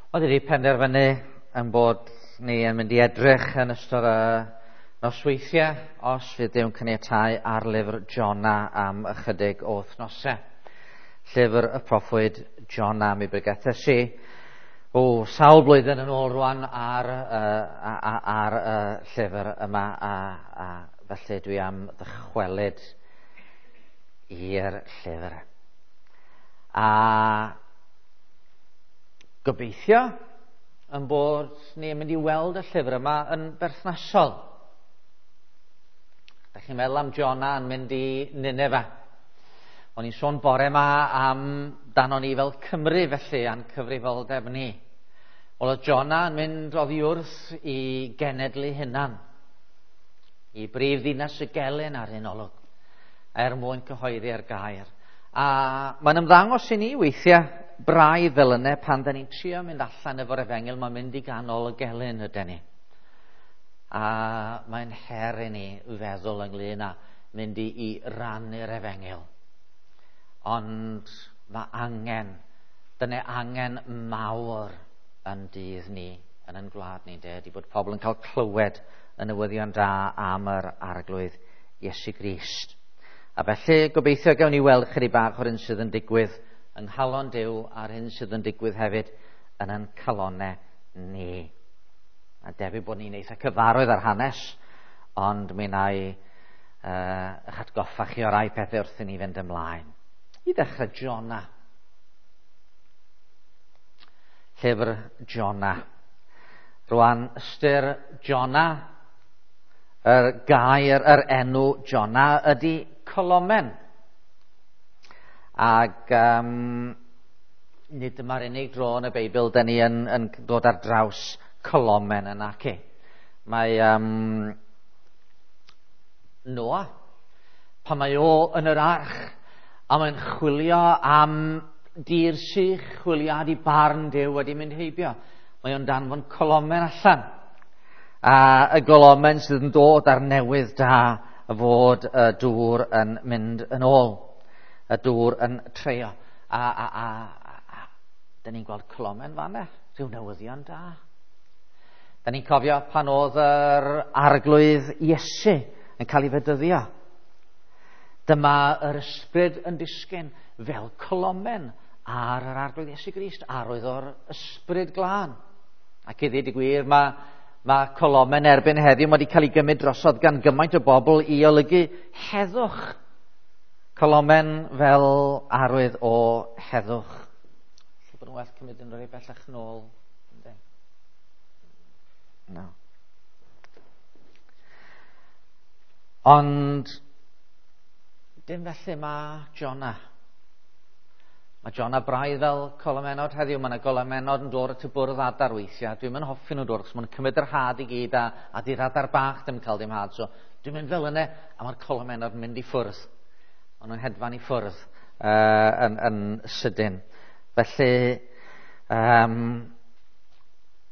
Oedd wedi penderfynu yn bod ni yn mynd i edrych yn ystod y nosweithiau, os fydd Duw'n caniatáu, ar lyfr Jona am ychydig o wythnosau. Llyfr y proffwyd Jona, mi bregethes i o sawl blwyddyn yn ôl rwan ar, ar y llyfr yma, a felly dwi am ddychwelyd i'r llyfr. A gobeithio yn bod ni'n mynd i weld y llyfr yma yn berthnasol. Da chi'n meddwl am Jona yn mynd i Nineveh. O'n i'n sôn bore yma am dano ni fel Cymru felly, a'n cyfrifoldeb ni. Wel, oedd Jona yn mynd oddi wrth i genedlu hunan, i brif ddinas y gelyn ar un olwg, er mwyn cyhoeddi'r gair. A mae'n ymddangos i ni weithiau braidd fel yna pan da ni'n trio mynd allan efo'r efengyl, mae'n mynd i ganol y gelyn ydy ni. A mae'n her i ni feddwl ynglyn â mynd i rannu'r efengyl. Ond mae angen, dyna angen mawr yn dydd ni, yn ein gwlad ni, de, di bod pobl yn cael clywed y newyddion da am yr Arglwydd Iesu Grist. A felly gobeithio gawn ni weld chydig bach o'r hyn sydd yn digwydd yng nghalon Duw a'r hyn sydd yn digwydd hefyd yn ein calonau ni. A debyg bod ni'n eitha cyfarwydd ar hanes, ond mi wna i eich atgoffa chi o rai pethau wrth i ni fynd ymlaen. I ddechrau, Jona. Llyfr Jona. Rwan, ystyr Jona, yr gair, yr enw Jona ydy colomen. Ac nid dyma'r unig dro yn y Beibl da ni yn dod ar draws colomen yn ac. Mae Noa, pan mae o yn yr arch, a mae'n chwilio am dir sych, chwiliad i barn Duw wedi mynd heibio. Mae o'n danfon colomen allan. A y golomen sydd yn dod ar newydd da fod y dŵr yn mynd yn ôl. Y dŵr yn treio. A dyn ni'n gweld colomen fanna, rhyw newyddion da. Dyn ni'n cofio pan oedd yr Arglwydd Iesu yn cael ei fedyddio. Dyma yr ysbryd yn disgyn fel colomen ar yr Arglwydd Iesu Grist, arwydd o'r ysbryd glân. Ac i ddweud y gwir, mae colomen erbyn heddiw wedi cael ei gymryd drosodd gan gymaint o bobl i olygu heddwch. Colomen fel arwydd o heddwch. Lle bod yn well cymryd yn rhoi bellach nôl. No. Ond dim felly mae Jona. Mae Jona braidd fel colomenod heddiw. Mae yna golomenod yn dod at y bwrdd adar weithiau. Dwi'n mynd hoffi nhw dod, achos maen nhw'n cymryd yr had i gyd a di'r adar bach ddim yn cael dim had. So dwi'n mynd fel yna, a mae'r colomenod yn mynd i ffwrdd. Maen nhw'n hedfan i ffwrdd yn sydyn. Felly,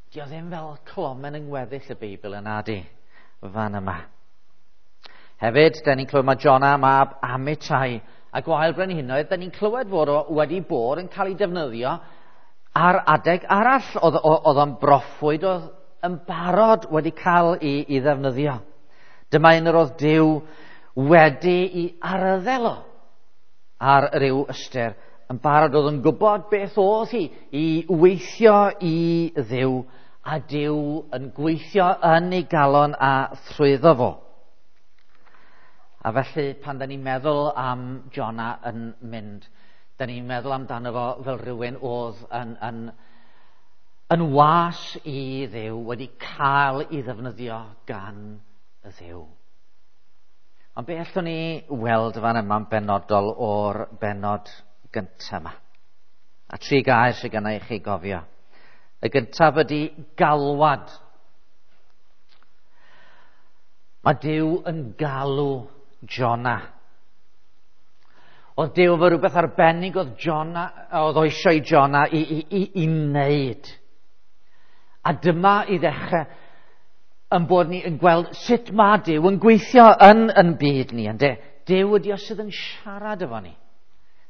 dio ddim fel colomen yng ngweddill y Beibl yna di, fan yma. Hefyd, da ni'n clywed mae Jona mab Amitai a gwael brenhinoedd, da ni'n clywed fod o wedi bod yn cael ei defnyddio ar adeg arall. Oedd o'n broffwyd oedd yn barod wedi cael ei ddefnyddio. Dyma un yr oedd Duw wedi ei arddel o ar ryw ystyr. Yn barod oedd yn gwybod beth oedd hi i weithio i Dduw, a Duw yn gweithio yn ei galon a thrwyddo fo. A felly pan da ni'n meddwl am Jona yn mynd, da ni'n meddwl amdano fo fel rhywun oedd yn was i Dduw, wedi cael ei ddefnyddio gan y Dduw. Ond be allwn ni weld fan yma'n benodol o'r bennod gyntaf yma? A tri gair sydd gynna i chi gofio. Y gyntaf ydy galwad. Mae Duw yn galw Jona. Oedd Duw efo rhywbeth arbennig oedd Jona, oedd o eisiau i Jona i wneud. A dyma i ddechrau yn bod ni yn gweld sut mae Duw yn gweithio yn byd ni, ynde? Duw ydy o sydd yn siarad efo ni.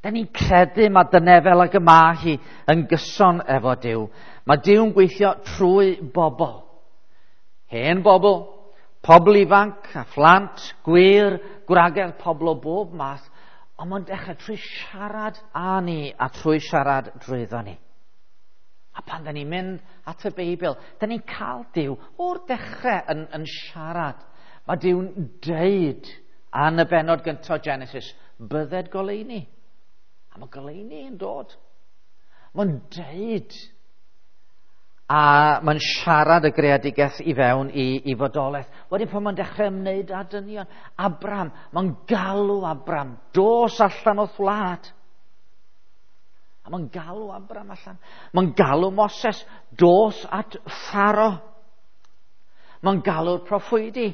Da ni'n credu mae dyna fel ag y mae hi yn gyson efo Duw. Mae Duw'n gweithio trwy bobl. Hen bobl, pobl ifanc a phlant, gwir, gwragedd, pobl o bob math, ond mae'n dechrau trwy siarad â ni a trwy siarad drwyddo ni. A pan da ni'n mynd at y Beibl, da ni'n cael Duw o'r dechrau yn siarad. Mae Duw'n deud yn y bennod gyntaf Genesis, bydded goleuni. A mae goleuni yn dod. Mae'n deud a mae'n siarad y greadigaeth i fewn i fodolaeth. Wedyn pan mae'n dechrau ymwneud â dynion, Abram, mae'n galw Abram, dos allan o'th wlad. A mae'n galw Abram allan. Mae'n galw Moses, dos at Pharo. Mae'n galw'r proffwydi.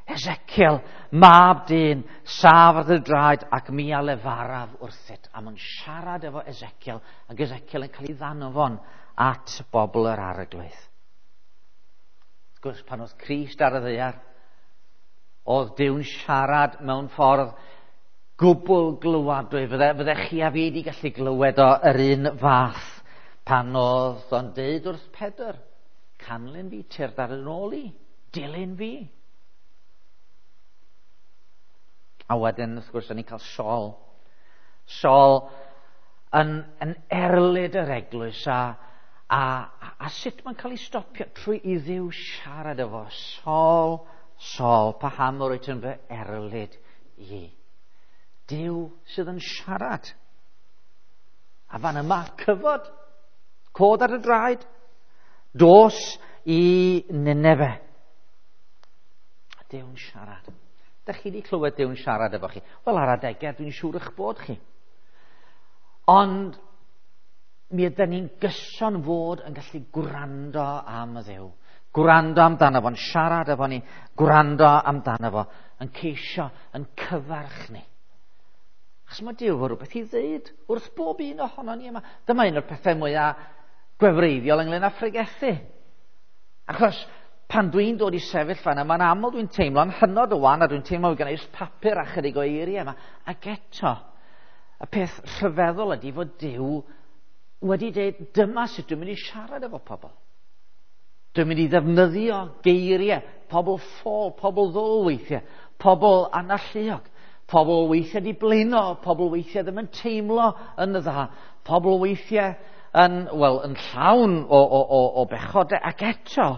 Ezekiel, mab dyn, saf ar dy draed ac mi a lefaraf wrthyt. A mae'n siarad efo Ezekiel, ac Ezekiel yn cael ei ddanfon at bobl yr arglwydd. Wrth gwrs, pan oedd Crist ar y ddaear, oedd Duw'n siarad mewn ffordd gwbl glywadwy. Fydde chi a fi wedi gallu glywed o yr un fath pan oedd o'n deud wrth Pedr, canlyn fi, tyrd ar yn ôl i, dilyn fi. A wedyn, wrth gwrs, o'n i'n cael Saul. Saul yn erlid yr eglwys a sut mae'n cael ei stopio trwy i Dduw siarad efo. Saul, Saul, paham yr wyt yn fy erlid i? Duw sydd yn siarad. A fan yma, cyfod, cod ar y draed, dos i Nineve. Duw'n siarad. Dach chi wedi clywed Duw'n siarad efo chi? Wel, ar adegau, dwi'n siŵr eich bod chi. Ond mi ydyn ni'n gyson fod yn gallu gwrando am y Dduw. Gwrando amdano fo'n siarad efo ni, gwrando amdano fo, yn ceisio, yn cyfarch ni. Achos mae Duw efo rhywbeth i ddeud wrth bob un ohono ni yma. Dyma un o'r pethau mwyaf gwefreiddiol ynglyn â phregethu. Achos pan dwi'n dod i sefyll fan yma, mae'n aml dwi'n teimlo'n hynod o wan, a dwi'n teimlo gen i papur a chydig o eiriau yma. Ac eto, y peth rhyfeddol ydy fod Duw wedi dweud, dyma sut dwi'n mynd i siarad efo pobl. Dwi'n mynd i ddefnyddio geiriau, pobl ffôl, pobl ddwl weithiau, pobl analluog, pobl weithiau di blino, pobl weithiau ddim yn teimlo yn dda, pobl weithiau yn llawn o bechodau, ac eto,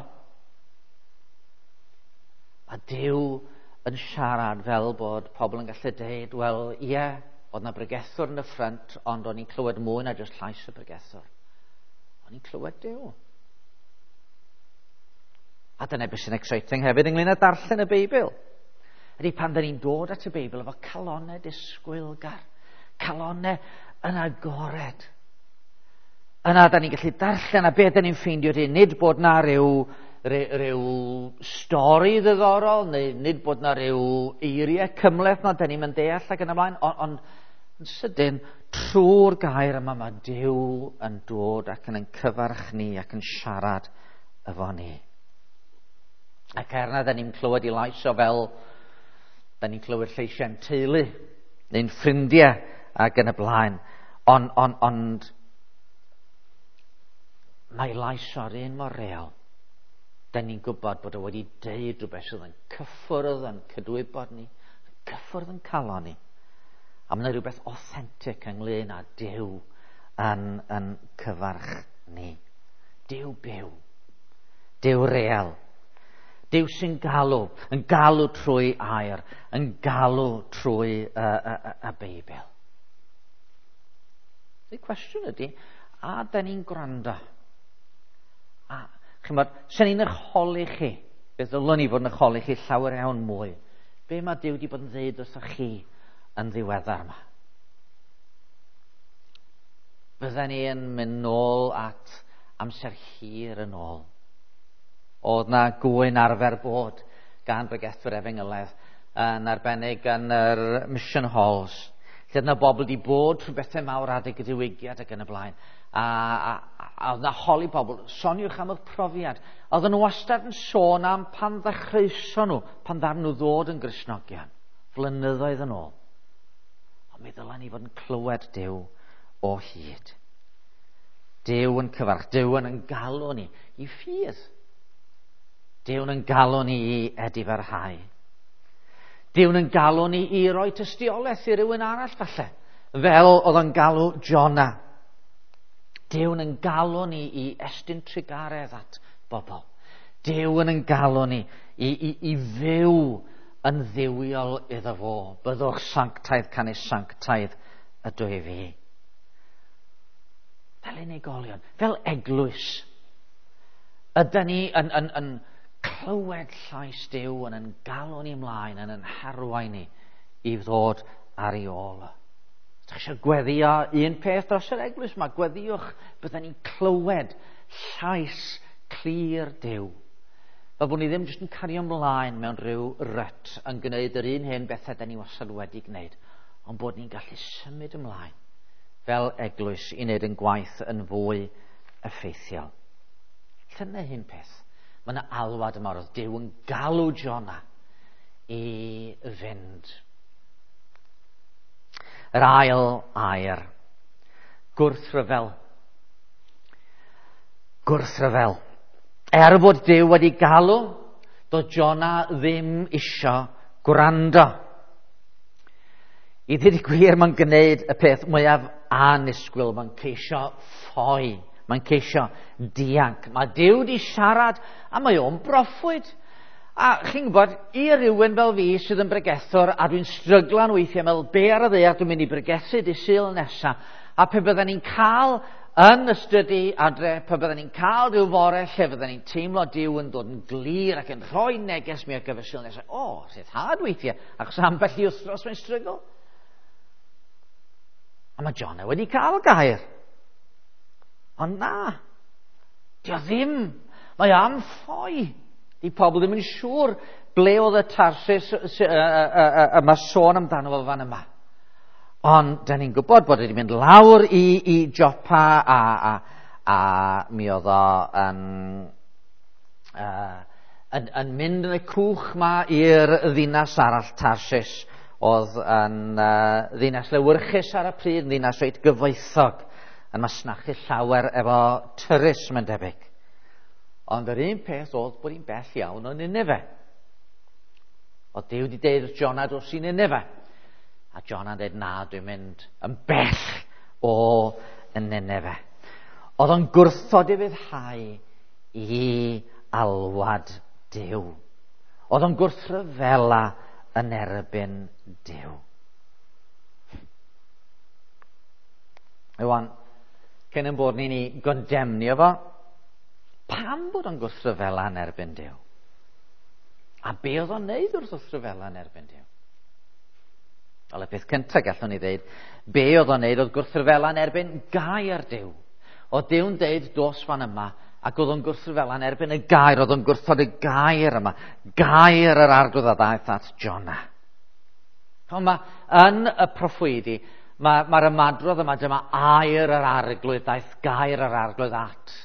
mae Duw yn siarad fel bod pobl yn gallu deud, wel, ie, oedd na bregethwr yn y ffrynt, ond o'n i'n clywed mwy na jyst llais y bregethwr. O'n i'n clywed Duw. A dyna beth sy'n exciting hefyd ynglyn â darllen y Beibl. Ydy pan da ni'n dod at y Beibl efo calonnau disgwylgar, calonnau yn agored. Yna da ni'n gallu darllen a beth da ni'n ffeindio ydy, nid bod na ryw stori ddiddorol, neu nid bod na ryw eiriau cymhleth na da ni'n mynd deall ac yn ymlaen, ond yn sydyn, trwy'r gair yma mae Duw yn dod ac yn cyfarch ni ac yn siarad efo ni. Ac er na da ni'n clywed i lais o fel, da ni'n clywed lleisiau'n teulu, neu'n ffrindiau ac yn y blaen, ond mae lais o'r un mor real. Da ni'n gwybod bod o wedi deud rhywbeth sydd yn cyffwrdd yn cydwybod ni, yn cyffwrdd yn calon ni. A mae yna rhywbeth authentic ynglyn â Duw yn cyfarch ni. Duw byw, Duw real, Duw sy'n galw, yn galw trwy air, yn galw trwy y Beibl. Y cwestiwn ydy, a da ni'n gwrando? A chymod, sy'n ni'n eich holi chi, beth ddylwn ni fod yn eich holi chi llawer iawn mwy. Be mae Duw wedi bod yn ddeud wrthoch chi yn ddiweddar yma? Fydden ni yn mynd nôl at amser hir yn ôl. Oedd na gwyn arfer bod gan bregethwyr efengylaidd yn arbennig yn yr mission halls, lle oedd na bobl wedi bod trwy bethau mawr adeg y diwygiad ac yn y blaen. A oedd na holi pobl, soniwch am eich profiad. Oedden nhw wastad yn sôn am pan ddechreuson nhw, pan ddaru nhw ddod yn Gristnogion, flynyddoedd yn ôl. Ond mi ddylen ni fod yn clywed Duw o hyd. Duw yn cyfarch, Duw yn galw ni i ffydd. Duw yn galw ni i edifarhau. Duw yn galw ni i roi tystiolaeth i rywun arall falle, fel oedd yn galw Jona. Duw yn galw ni i estyn trugaredd at bobl. Duw yn galw ni i fyw yn dduwiol iddo fo. Byddwch sanctaidd, canys sanctaidd ydw i fi. Fel unigolion, fel eglwys, ydy ni yn clywed llais Duw yn galw ni ymlaen, yn harwain ni i ddod ar ei ôl. Os ydych eisiau gweddio un peth dros yr eglwys yma, gweddiwch byddwn ni'n clywed llais clir Duw. Fel bod ni ddim jyst yn cario ymlaen mewn rhyw rut yn gwneud yr un hen bethau da ni wastad wedi gwneud, ond bod ni'n gallu symud ymlaen fel eglwys i wneud yn gwaith yn fwy effeithiol. Dyna un peth. Mae yna alwad yma, roedd Duw yn galw Jona i fynd. Yr ail air, gwrthryfel. Gwrthryfel. Er bod Duw wedi galw, doedd Jona ddim isio gwrando. I ddweud y gwir, mae'n gwneud y peth mwyaf annisgwyl. Mae'n ceisio ffoi. Mae'n ceisio dianc. Mae Duw wedi siarad a mae o'n broffwyd. A chi'n gwybod, i rywun fel fi sydd yn bregethwr, a dwi'n stryglan weithiau, meddwl be ar y ddaear dwi'n mynd i bregethu dydd Sul nesaf, a pe bydden ni'n cael yn y stydi adre, pe bydden ni'n cael rhyw fore lle fydden ni'n teimlo Duw yn dod yn glir ac yn rhoi neges mi ar gyfer Sul nesaf, o, rhyddhad weithiau, achos ambell i wythnos mae'n strygl. A mae Jona wedi cael gair. Ond na, dio ddim. Mae am ffoi. Di pobl ddim yn siŵr ble oedd y Tarsus y mae sôn amdano fo fan yma. Ond da ni'n gwybod bod wedi mynd lawr i Joppa a mi oedd o yn mynd yn y cwch ma i'r ddinas arall Tarsus, oedd yn ddinas lewyrchus ar y pryd, yn ddinas reit gyfoethog, yn masnachu llawer efo tyrus, mae'n debyg. Ond yr un peth oedd bod hi'n bell iawn o Nineveh. Oedd Duw wedi deud wrth Jona dros i Nineveh. A Jona'n dweud, na, dwi'n mynd yn bell o Nineveh. Oedd o'n gwrthod i fyddhau i alwad Duw. Oedd o'n gwrthryfela yn erbyn Duw. Iwan, cyn yn bod ni'n ei gondemnio fo, pam bod o'n gwrthryfela yn erbyn Duw? A be oedd o'n neud wrth wrthryfela yn erbyn Duw? Wel, y peth cyntaf gallwn ni ddeud, be oedd o'n neud oedd gwrthryfela yn erbyn gair Duw. Oedd Duw'n deud dos fan yma, ac oedd o'n gwrthryfela yn erbyn y gair, oedd o'n gwrthod y gair yma, gair yr arglwydd a ddaeth at Jona. Ond mae yn y proffwydi, mae'r ymadrodd yma, dyma air yr arglwydd, daeth gair yr arglwydd at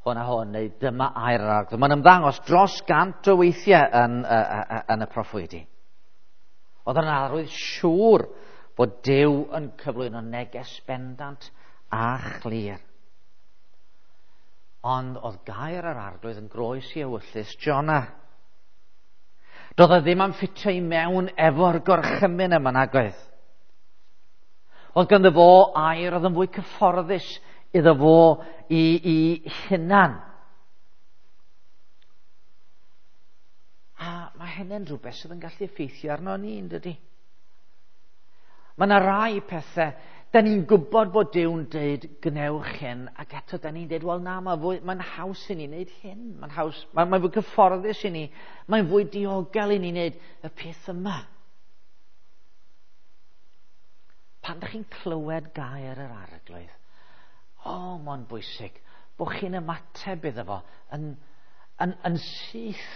hwn a hwn, neu dyma air yr arglwydd. Mae'n ymddangos dros 100 o weithiau yn y proffwydi. Oedd yn arwydd siŵr bod Duw yn cyflwyno neges bendant a chlir. Ond oedd gair yr arglwydd yn groes i ewyllys Jona. Doedd o ddim am ffitio i mewn efo'r gorchymyn yma nag oedd. Oedd ganddo fo air oedd yn fwy cyfforddus iddo fo i hunan. A mae hynny'n rhywbeth sydd yn gallu effeithio arno ni, yn dydi? Mae yna rai pethau, da ni'n gwybod bod Duw'n deud gwnewch hyn, ac eto da ni'n deud, wel na, mae'n haws i ni wneud hyn, mae'n haws, mae'n fwy cyfforddus i ni, mae'n fwy diogel i ni wneud y peth yma. Pan ydych chi'n clywed gair yr arglwydd, o, mae'n bwysig bod chi'n ymateb iddo fo yn syth.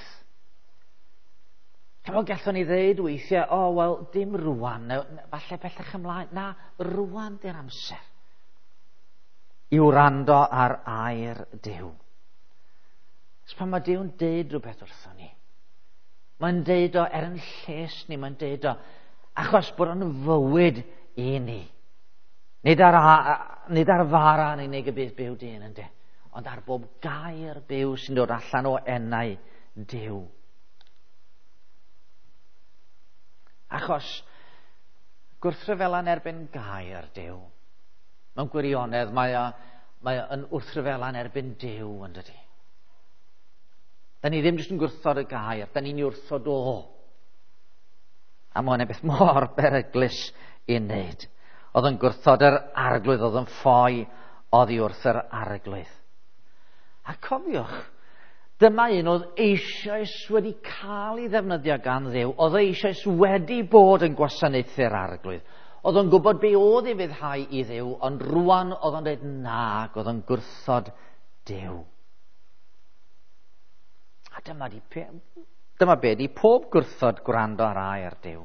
Chimod, gallwn ni ddeud weithiau, o, wel, dim rwan, falle bellach ymlaen. Na, rwan di'r amser i wrando ar air Duw. Os pan mae Duw'n deud rhywbeth wrthon ni, mae'n deud o er yn lles ni, mae'n deud o Achos bod o'n fywyd i ni. Nid ar, nid ar fara yn unig y bydd byw dyn, ynde, ond ar bob gair byw sy'n dod allan o enau Duw. Achos gwrthryfela'n erbyn gair Duw. Mewn gwirionedd mae o yn wrthryfela'n erbyn Duw, yn dydi? Da ni ddim jyst yn gwrthod y gair, da ni'n ei wrthod o. A mae hwnna'n beth mor beryglus i wneud. Oedd yn gwrthod yr arglwydd, oedd yn ffoi oddi wrth yr arglwydd. A cofiwch, dyma un oedd eisoes wedi cael ei ddefnyddio gan Dduw, oedd eisoes wedi bod yn gwasanaethu'r arglwydd. Oedd o'n gwybod be oedd ei fyddhau i Dduw, ond rwan oedd o'n dweud nag, oedd o'n gwrthod Duw. A dyma, di, dyma be di pob gwrthod gwrando ar air Duw.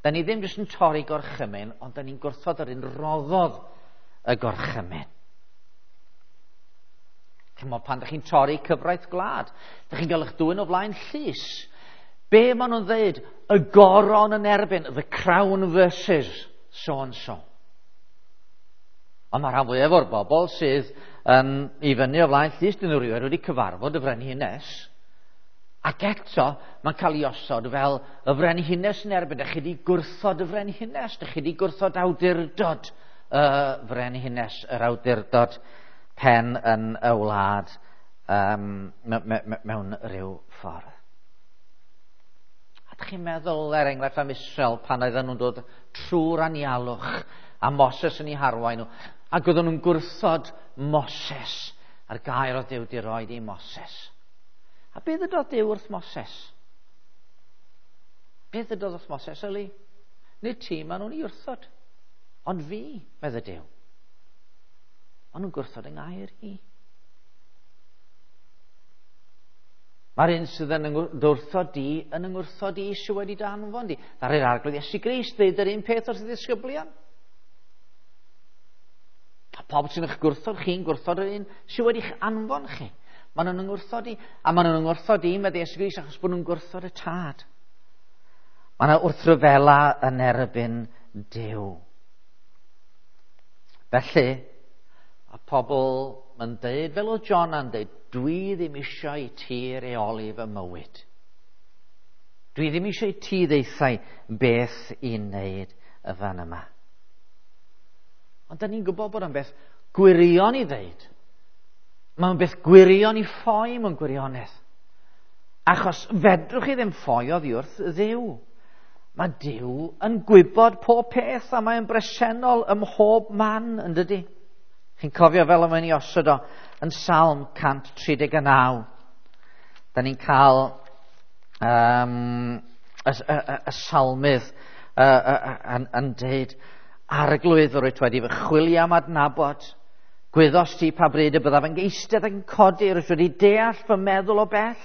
Da ni ddim jyst yn torri gorchymyn, ond da ni'n gwrthod yr un roddodd y gorchymyn. Chymod, pan da chi'n torri cyfraith gwlad, da chi'n gael eich dwyn o flaen llys. Be maen nhw'n dweud? Y goron yn erbyn, the crown versus so and so. Ond mae rhan fwyaf o'r bobl sydd yn i fyny o flaen llys, dyn nhw rioed wedi cyfarfod y frenhines. Ac eto, mae'n cael ei osod fel y frenhines yn erbyn. Dych chi wedi gwrthod y frenhines, dych chi wedi gwrthod awdurdod y frenhines, yr awdurdod pen yn y wlad mewn rhyw ffordd. A dych chi'n meddwl, er enghraifft, am Israel pan oedden nhw'n dod trwy'r anialwch a Moses yn ei harwain nhw, ac oedden nhw'n gwrthod Moses a'r gair oedd Duw wedi roed i Moses. A beth ydodd Duw wrth Moses? Beth ydodd wrth Moses, yli? Nid ti, maen nhw'n ei wrthod. Ond fi, medde Duw. Maen nhw'n gwrthod yng ngair i. Mae'r un sydd yn wrthod di yn yngwrthod i sydd wedi danfon di. Ddaru'r arglwydd Iesu Grist ddeud yr un peth wrth y ddisgyblion. A pob sy'n eich gwrthod chi'n gwrthod yr un sydd wedi'ch anfon chi. Maen nhw'n yngwrthod i, a maen nhw'n yngwrthod i, medde Iesu Grist, achos bod nhw'n gwrthod y tad. Mae yna wrthryfela yn erbyn Duw. Felly, a pobl yn deud, fel oedd John yn deud, dwi ddim eisiau i ti reoli fy mywyd. Dwi ddim eisiau i ti ddeithau beth i wneud y fan yma. Ond da ni'n gwybod bod o'n beth gwirion i ddeud. Mae'n beth gwirion i ffoi mewn gwirionedd. Achos fedrwch chi ddim ffoi oddi wrth Dduw. Mae Duw yn gwybod pob peth a mae'n bresennol ym mhob man, yn dydi? Chi'n cofio fel y mae'n ei osod o yn Salm 139. Da ni'n cael y salmydd yn deud, Arglwydd, yr wyt wedi fy chwilio am adnabod. Gwyddost ti pa bryd y byddaf yn eistedd ac yn codi, rwyt wedi deall fy meddwl o bell.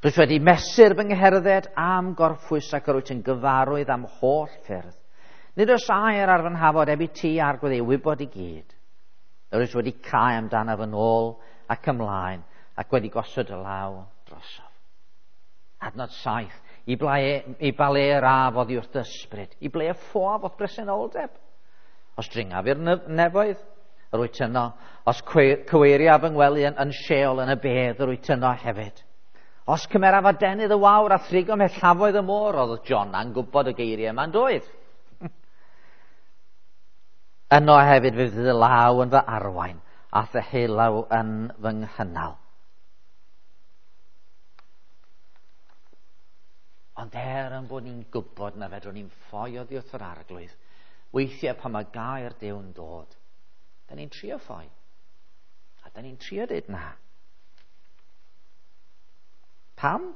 Rwyt wedi mesur fy ngherdded am gorffwys ac yr wyt yn gyfarwydd am holl ffyrdd. Nid oes air ar fy nhafod heb i ti, Arglwydd, ei wybod i gyd. Yr wyt wedi cau amdanaf yn ôl ac ymlaen ac wedi gosod y law drosof. Adnod 7. I ba le yr af oddi wrth dy ysbryd, i ble y ffoaf o'th bresenoldeb. Os dringaf i'r nefoedd, yr wyt yno. Os cyweiriaf fy ngwely yn Sheol yn y bedd, yr wyt yno hefyd. Os cymeraf adenydd y wawr a thrigo mellafoedd y môr, oedd Jona'n gwybod y geiriau yma'n doedd. Yno hefyd fe fydd y law yn fy arwain a ddeheulaw yn fy nghynnal. Ond er yn bod ni'n gwybod na fedrwn ni'n ffoi oddi wrth yr arglwydd, weithiau pan mae gair Duw'n dod, da ni'n trio ffoi. A da ni'n trio dweud na. Pam?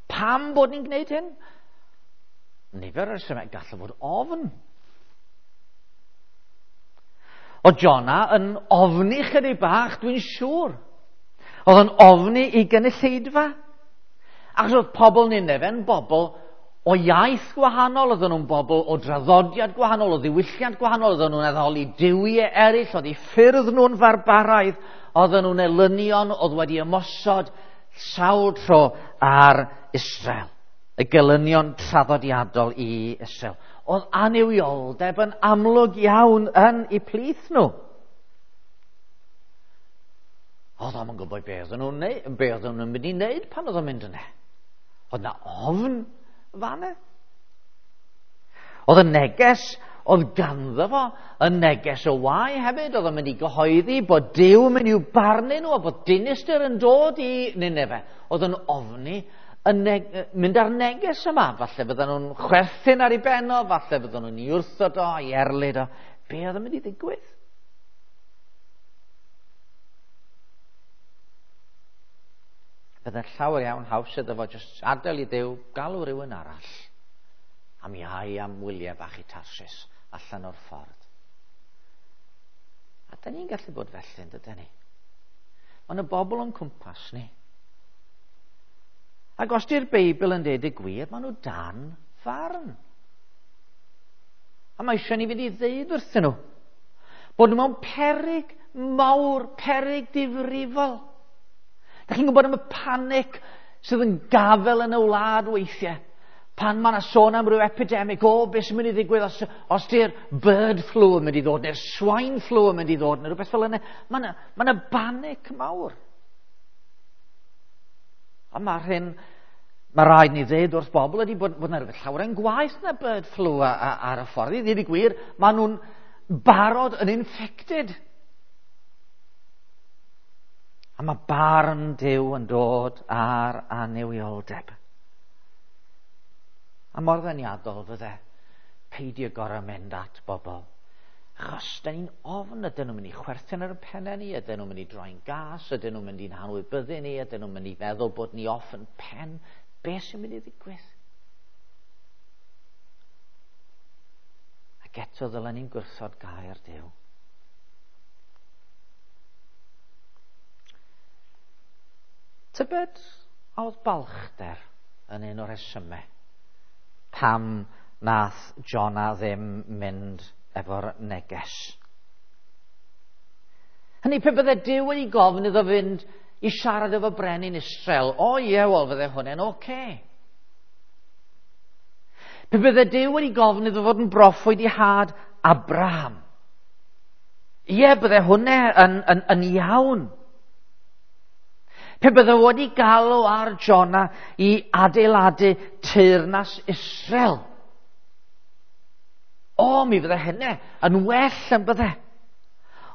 Pam bod ni'n gwneud hyn? Nifer o'r resymau, gallai fod ofn. O Jona yn ofni chydig bach, dwi'n siŵr. Oedd yn ofni i gynulleidfa. Achos oedd pobl Ninefe'n bobl o iaith gwahanol, oedden nhw'n bobl o draddodiad gwahanol, o ddiwylliant gwahanol, oedden nhw'n addoli duwiau eraill, oedd eu ffyrdd nhw'n farbaraidd, oedden nhw'n elynion, oedd wedi ymosod sawl tro ar Israel. Y gelynion traddodiadol i Israel. Oedd annuwioldeb yn amlwg iawn yn eu plith nhw. Oedd o'm yn gwybod be oedden nhw'n neud, be oedden nhw'n mynd i wneud pan oedd o'n mynd yna. Oedd na ofn fanna. Oedd y neges oedd ganddo fo, y neges o wae hefyd, oedd o'n mynd i gyhoeddi bod Duw yn mynd i'w barnu nhw a bod dinistr yn dod i Nineve. Oedd o'n ofni mynd â'r neges yma. Falle fydden nhw'n chwerthin ar ei ben o, falle fydden nhw'n ei wrthod o, ei erlid o. Be oedd yn mynd i ddigwydd? Bydde'n llawer iawn haws iddo fo jyst adael i Dduw galw rhywun arall a mi ai am wyliau bach i Tarsis allan o'r ffordd. A da ni'n gallu bod felly, yn dydyn ni? Ond y bobl o'n cwmpas ni. Ac os di'r Beibl yn deud y gwir, maen nhw dan farn. A mae eisiau ni fynd i ddeud wrthyn nhw bod nhw mewn peryg mawr, peryg difrifol. Da chi'n gwybod am y panic sydd yn gafel yn y wlad weithiau? Pan mae yna sôn am ryw epidemic, o, beth sy'n mynd i ddigwydd os di'r bird flu yn mynd i ddod, neu'r swine flu yn mynd i ddod, neu rhywbeth fel yna. Mae yna, mae yna banic mawr. A mae'r hyn, mae rhaid ni ddeud wrth bobl ydy bod yna rhywbeth llawer yn gwaeth na bird flu ar y ffordd. I ddweud y gwir, maen nhw'n barod yn infected. A mae barn Duw yn dod ar annuwioldeb. A mor ddeniadol fydde peidio gorau mynd at bobl. Achos da ni'n ofn, ydyn nhw'n mynd i chwerthin ar y pennau ni, ydyn nhw'n mynd i droi'n gas, ydyn nhw'n mynd i'n hanwybyddu ni, ydyn nhw'n mynd i feddwl bod ni off yn pen. Be sy'n mynd i ddigwydd? Ac eto ddylen ni'n gwrthod gair Duw. Tybed a oedd balchder yn un o'r rhesymau pam nath Jonah ddim mynd efo'r neges. Hynny, pe bydde Duw wedi gofyn iddo fynd i siarad efo brenin Israel, o ie, wel, fydde hwnna'n oce. Pe bydde Duw wedi gofyn iddo fod yn broffwyd i had Abraham, ie, bydde hwnna yn iawn. Pe bydde wedi galw ar Jonah i adeiladu teyrnas Israel, o, mi fydde hynny yn well yn bydde.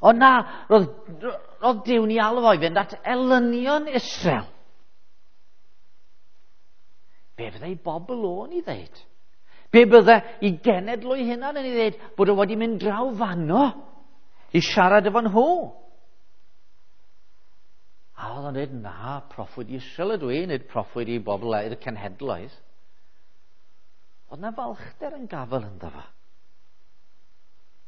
Ond na, roedd Duw'n ei alw fo i fynd at elynion Israel. Be fydde ei bobl o'n ei ddeud? Be bydde i genedl o'i hunan yn ei ddeud bod o wedi mynd draw fanno i siarad efo nhw? A oedd o'n dweud, na, proffwyd Israel ydw i, nid proffwyd i bobl i'r cenhedloedd. Oedd na falchder yn gafel ynddo fo.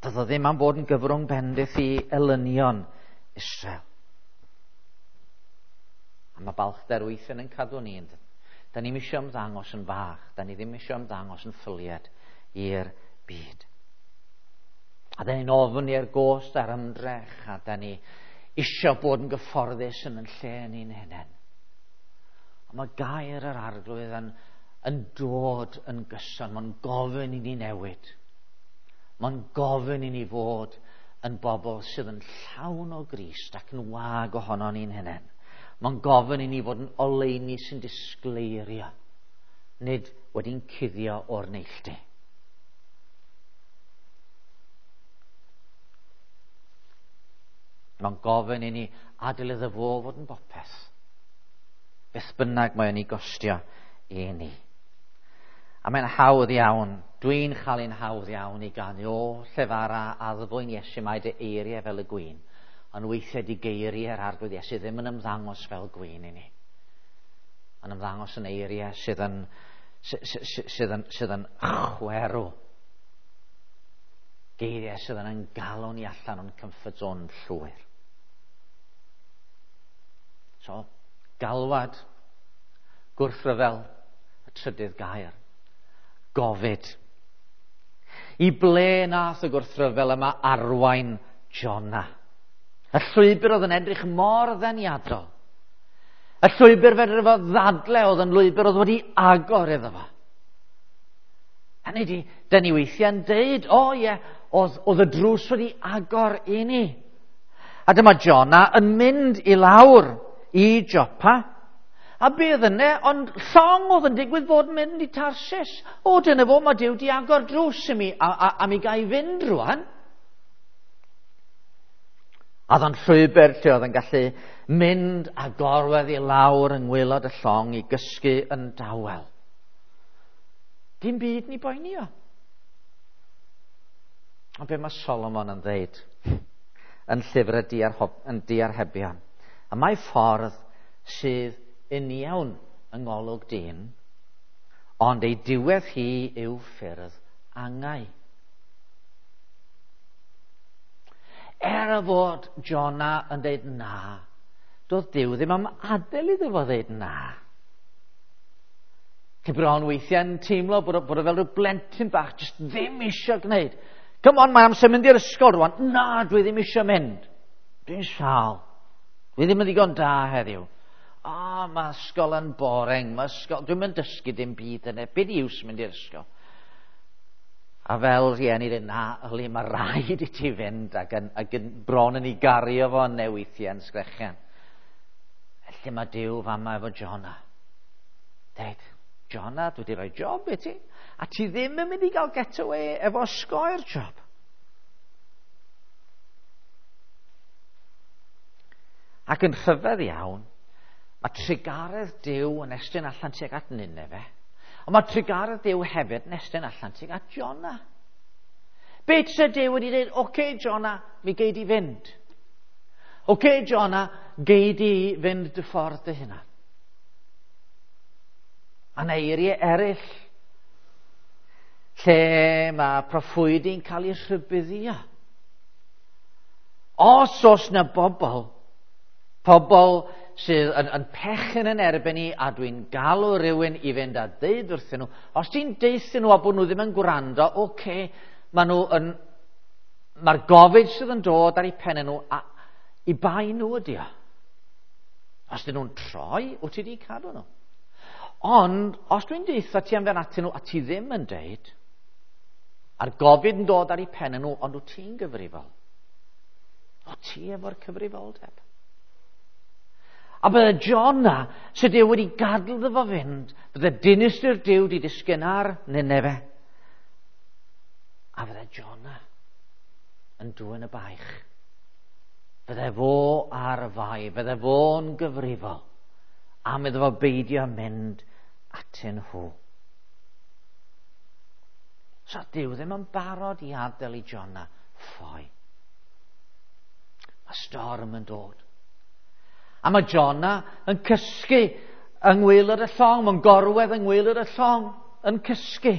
Doedd o ddim am fod yn gyfrwng bendith i elynion Israel. A mae balchder weithiau yn cadw ni. Da ni'm eisiau ymddangos yn fach. Da ni ddim eisiau ymddangos yn ffyliad i'r byd. A da ni'n ofni ar gost a'r ymdrech, a da ni eisiau bod yn gyfforddus yn yn lle ni'n hunain. A mae gair yr Arglwydd yn dod yn gyson. Mae'n gofyn i ni newid. Mae'n gofyn i ni fod yn bobl sydd yn llawn o Grist ac yn wag ohono ni'n hunain. Mae'n gofyn i ni fod yn oleuni sy'n disgleirio, nid wedi'n cuddio o'r neilltu. Mae'n gofyn i ni adael iddo fo fod yn bopeth, beth bynnag mae o'n ei gostio i ni. A mae'n hawdd iawn, dwi'n chael un hawdd iawn i ganu, o llefara addfwyn Iesu, mae dy eiriau fel y gwin. Ond weithiau di geiriau'r Arglwydd Iesu ddim yn ymddangos fel gwin i ni. Yn ymddangos yn eiriau sydd yn chwerw. Geiriau sydd yn galw ni allan o'n comfort zone llwyr. So, galwad, gwrthryfel, y trydydd gair. Gofid. I ble nath y gwrthryfel yma arwain Jonah? Y llwybr oedd yn edrych mor ddeniadol. Y llwybr fedr fo ddadle oedd yn lwybr oedd wedi agor iddo fo. Hynny di, dyn ni weithiau'n deud, o oh, ie, oedd, oedd y drws wedi agor i ni. A dyma Jona yn mynd i lawr i Jopa. A be oedd yna, ond llong oedd yn digwydd fod yn mynd i Tarsis. O, dyna fo, mae Duw di agor drws i mi, a, a, a mi ga i fynd rwan. A oedd o'n llwybr lle oedd yn gallu mynd a gorwedd i lawr yng ngwaelod y llong i gysgu yn dawel. Dim byd ni boeni o. Ond be mae Solomon yn dweud yn llyfr y yn diarhebion? A mae ffordd sydd uniawn yng ngolwg dyn, ond ei diwedd hi yw ffyrdd angau. Er y fod Jona yn dweud na, doedd Duw ddim am adael iddo fo ddeud na. Chi bron weithiau'n teimlo bod, bod o fel rhyw blentyn bach, jyst ddim eisiau gwneud. Come on, mae amser mynd i'r ysgol rwan. Na, dwi ddim eisiau mynd. Dwi'n sâl. Dwi ddim yn ddigon da heddiw. O, oh, mae ysgol yn boring. Mae ysgol... Dwi'n mynd dysgu dim byd yna. Be di iws mynd i'r ysgol? A fel rhieni dweud, na, yli, mae rhaid i ti fynd ac yn, ac yn bron yn ei gario fo yn neweithiau yn sgrechian. Felly mae Duw fama efo Jona. Dweud, Jona, dwi wedi rhoi job i ti. A ti ddim yn mynd i gael get away efo osgoi'r job. Ac yn rhyfedd iawn, mae trugaredd Duw yn estyn allan tuag at Nineve. Ond mae trugaredd Duw hefyd yn estyn allan tuag at Jona. Be se Duw wedi dweud, oce okay, Jona, mi gei di fynd. Oce okay, Jona, gei di fynd dy ffordd dy hunan. A yna eiriau eraill lle mae proffwydi'n cael ei rhybuddio. Os oes na bobl, pobl sydd yn, yn pechyn yn erbyn i a dwi'n galw rhywun i fynd a deud wrthyn nhw, os ti'n deuthyn nhw a bod nhw ddim yn gwrando, oce, okay, maen nhw yn, mae'r gofid sydd yn dod ar eu pennau nhw, a, i bai nhw ydi o. Os dyn nhw'n troi, wyt ti wedi cadw nhw. Ond, os dwi'n deutha ti am fe'n atyn nhw a ti ddim yn deud, a'r gofid yn dod ar eu pennau nhw, ond wyt ti'n gyfrifol. O ti efo'r cyfrifoldeb. A bydde Jona, sydd Duw wedi gadael iddo fo fynd, bydde dinistr Duw wedi disgyn ar Nineve. A fydde Jona yn dwyn y baich. Fydde fo ar y fai, fydde fo'n gyfrifol am iddo fo beidio mynd atyn nhw. So Duw ddim yn barod i adael i Jona ffoi. Mae storm yn dod. A mae Jona yn cysgu yng ngwaelod y llong, mae'n gorwedd yng ngwaelod y llong yn cysgu.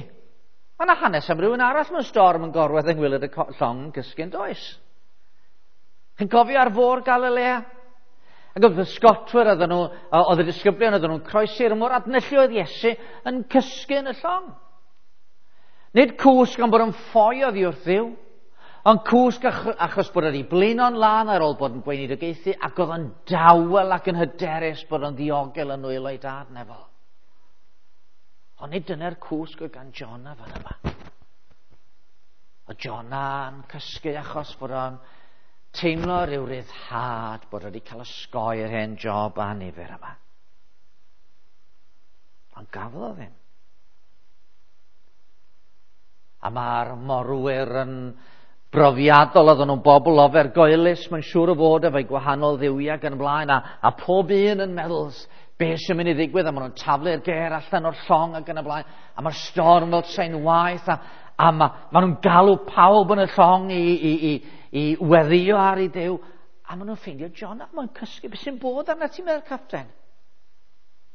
Mae yna hanes am rhywun arall mewn storm yn gorwedd yng ngwaelod y llong yn cysgu yn does. Chi'n cofio ar fôr Galilea? Ac oedd y sgotwyr oedden nhw, oedd y disgyblion oedden nhw'n croesi'r môr, a dyna lle oedd Iesu yn cysgu yn y llong. Nid cwsg gan bod yn ffoi oddi wrth Dduw, ond cwsg achos bod wedi blino'n lân ar ôl bod yn gweinidogaethu ac oedd yn dawel ac yn hyderus bod yn ddiogel yn nwylo ei dad nefol. Ond nid dyna'r cwsg oedd gan Jona fan yma. Oedd Jona'n cysgu achos bod o'n teimlo rhyw ryddhad bod wedi cael osgoi'r hen job annifyr yma. Ond gafodd o ddim. A mae'r morwyr yn brofiadol, oedden nhw'n bobl ofergoelus, mae'n siŵr o fod efo'i gwahanol dduwiau gan ymlaen, a, a pob un yn meddwl beth sy'n mynd i ddigwydd, a maen nhw'n taflu'r ger allan o'r llong ac yn y blaen, a mae'r storm fel tre'n waeth, a, a ma, maen nhw'n galw pawb yn y llong i, i, i, i weddio ar ei Duw, a maen nhw'n ffeindio John, a maen cysgu, beth sy'n bod arna ti'n meddwl, capten?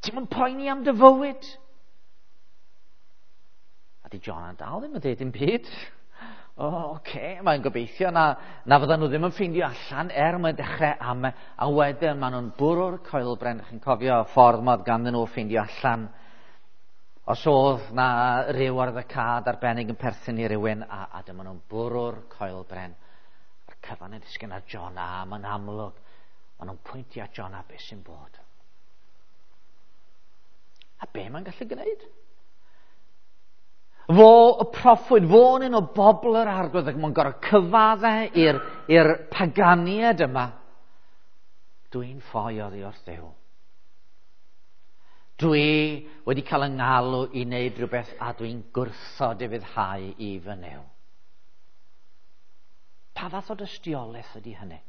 Ti'n mynd poeni am dy fywyd? A di John yn dal ddim yn dweud dim byd. O, oh, oce, okay. Mae'n gobeithio na, na fyddan nhw ddim yn ffeindio allan er mae'n dechrau am, a wedyn maen nhw'n bwrw'r coelbren. Chi'n cofio y ffordd modd ganddyn nhw ffeindio allan os oedd na ryw ar y cad arbennig yn perthyn i rywun, a, a dyma nhw'n bwrw'r coelbren. A'r cyfan yn disgyn ar John, a mae'n amlwg. Maen nhw'n pwyntio at John a beth sy'n bod. A be mae'n gallu gwneud? Fo y proffwyd, fo'n un o bobl yr Arglwydd, ac mae'n gorfod cyfadde i'r paganiad yma. Dwi'n ffoi oddi wrth Dduw. Dwi wedi cael yng ngalw i wneud rhywbeth a dwi'n gwrthod ufuddhau i fy Nuw. Pa fath o dystiolaeth ydy hynny?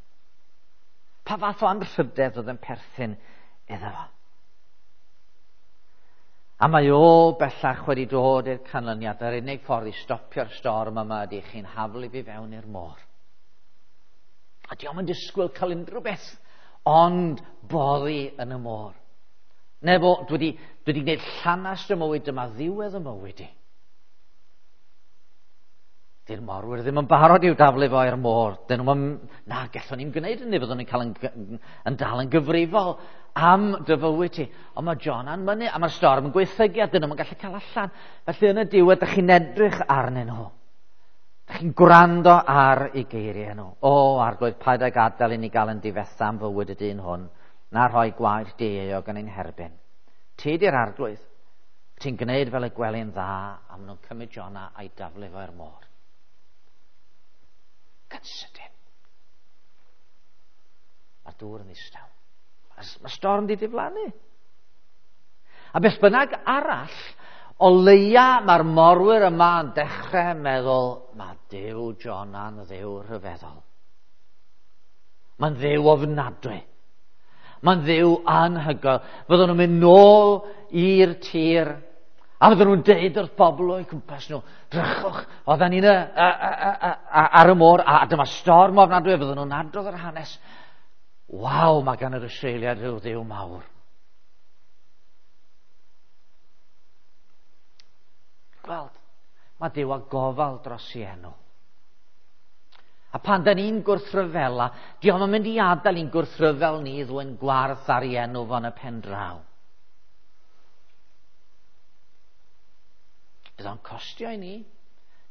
Pa fath o anrhydedd oedd yn perthyn iddo fo? A mae o bellach wedi dod i'r canlyniad. Yr unig ffordd i stopio'r storm yma ydy chi'n haflu fi fewn i'r môr. A dio'm yn disgwyl cael unrhyw beth ond boddi yn y môr. Neu fo, dwi wedi gwneud llanast y mywyd, dyma ddiwedd y mywyd i. Di'r morwyr ddim yn barod i'w daflu fo i'r môr. Dyn nhw'n, na, gallwn ni'n gwneud hynny, fyddwn ni'n cael yn dal yn gyfrifol am dy fywyd ti. Ond mae Jona'n mynnu, a mae'r storm yn gwaethygu, a dyn nhw'n gallu cael allan. Felly yn y diwedd, dych chi'n edrych arnyn nhw. Dych chi'n gwrando ar eu geiriau nhw. O, Arglwydd, paid â gadael i ni gael yn difetha am fywyd y dyn hwn, na rhoi gwaed dieuog yn ein herbyn. Ti di'r Arglwydd. Ti'n gwneud fel y gweli'n dda, a maen nhw'n cymryd Jona a'i daflu fo i'r môr. Gan sydyn. Mae'r dŵr yn ddistaw. Mae storm di diflannu. A beth bynnag arall, o leia mae'r morwyr yma yn dechrau meddwl, mae Duw Jona'n dduw rhyfeddol. Mae'n dduw ofnadwy. Mae'n dduw anhygoel. Fyddwn nhw'n mynd nôl i'r tir, a fydden nhw'n deud wrth bobl o'u cwmpas nhw, drychwch, oedden ni'n ar y môr, a dyma storm ofnadwy, fydden nhw'n adrodd yr hanes. Waw, mae gan yr Israeliad rhyw dduw mawr. Gweld, mae Duw â gofal dros ei enw. A pan da ni'n gwrthryfela, dio'm yn mynd i adael i'n gwrthryfel ni ddwyn gwarth ar ei enw fo'n y pen draw. Bydd o'n costio i ni.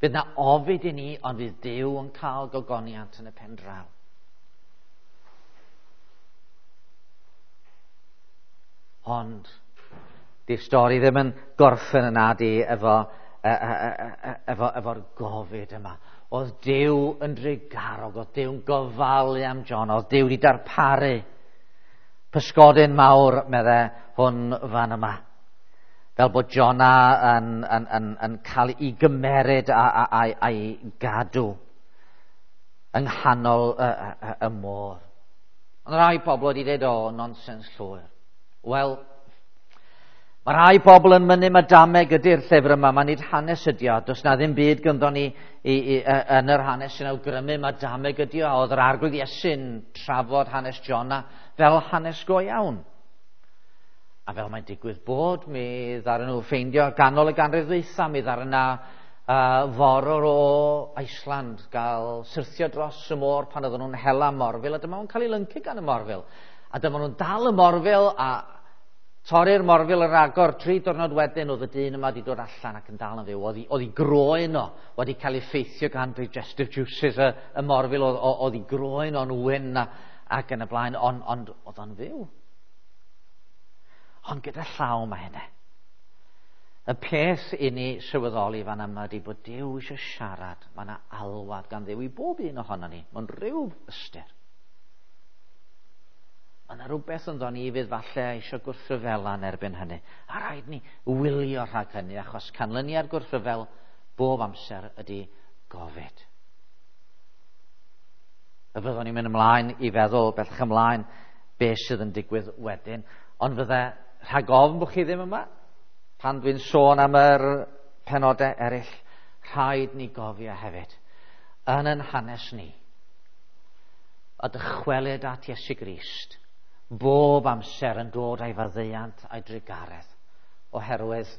Bydd na ofid i ni, ond fydd Duw yn cael gogoniant yn y pen draw. Ond di'r stori ddim yn gorffen yna di efo'r gofid yma. Oedd Duw yn drugarog, oedd Duw yn gofalu am John, oedd Duw wedi darparu pysgodyn mawr, medde hwn fan yma. Fel bod Jona yn cael ei gymeryd a'i gadw yng nghanol y môr. Ond rhai pobl wedi dweud, o, nonsens llwyr. Wel, mae rhai pobl yn mynnu mae dameg ydy'r llyfr yma, mae nid hanes ydi o. Does na ddim byd gynddo ni yn yr hanes sy'n awgrymu mae dameg ydi o. Oedd yr Arglwydd Iesu'n trafod hanes Jona fel hanes go iawn. A fel mae'n digwydd bod, mi ddaru nhw ffeindio ganol y ganrif ddwytha, mi ddaru na forwr o Iceland gael syrthio dros y môr pan oedden nhw'n hela morfil, a dyma nhw'n cael ei lyncu gan y morfil. A dyma nhw'n dal y morfil a torri'r morfil yr agor. 3 diwrnod wedyn oedd y dyn yma wedi dod allan ac yn dal yn fyw. Oedd ei groen o wedi cael ei ffeithio gan digestive juices y morfil, oedd ei groen o'n wyn ac yn y blaen, ond oedd o'n fyw. Ond gyda llaw mae hynny. Y peth i ni sylweddoli fan yma ydy bod Duw eisiau siarad. Mae yna alwad gan Dduw i bob un ohono ni, mewn rhyw ystyr. Mae yna rhywbeth ynddo ni fydd falle eisiau gwrthryfela yn erbyn hynny. A rhaid ni wylio rhag hynny, achos canlyniad gwrthryfel bob amser ydy gofid. Y fyddwn ni'n mynd ymlaen i feddwl bellach ymlaen beth sydd yn digwydd wedyn. Ond fydde rhag ofn bod chi ddim yma, pan dwi'n sôn am yr penodau eraill, rhaid ni gofio hefyd, yn ein hanes ni, a dychwelyd at Iesu Grist, bob amser yn dod â'i faddeuant a'i drugaredd, oherwydd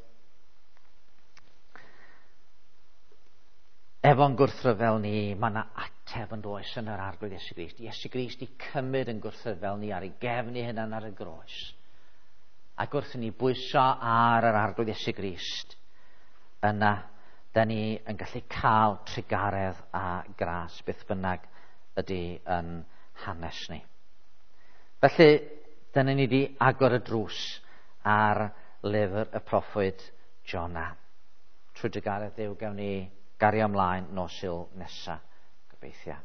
efo'n gwrthryfel ni, mae yna ateb yn does yn yr Arglwydd Iesu Grist. Iesu Grist i cymryd yn gwrthryfel ni ar ei gefn ei hunan ar y groes. Ac wrth i ni bwyso ar yr Arglwydd Iesu Grist, yna, da ni yn gallu cael trugaredd a gras beth bynnag ydy yn hanes ni. Felly, dyna ni wedi agor y drws ar lyfr y proffwyd Jona. Trwy drugaredd Duw gawn ni gario ymlaen nos Sul nesa, gobeithio.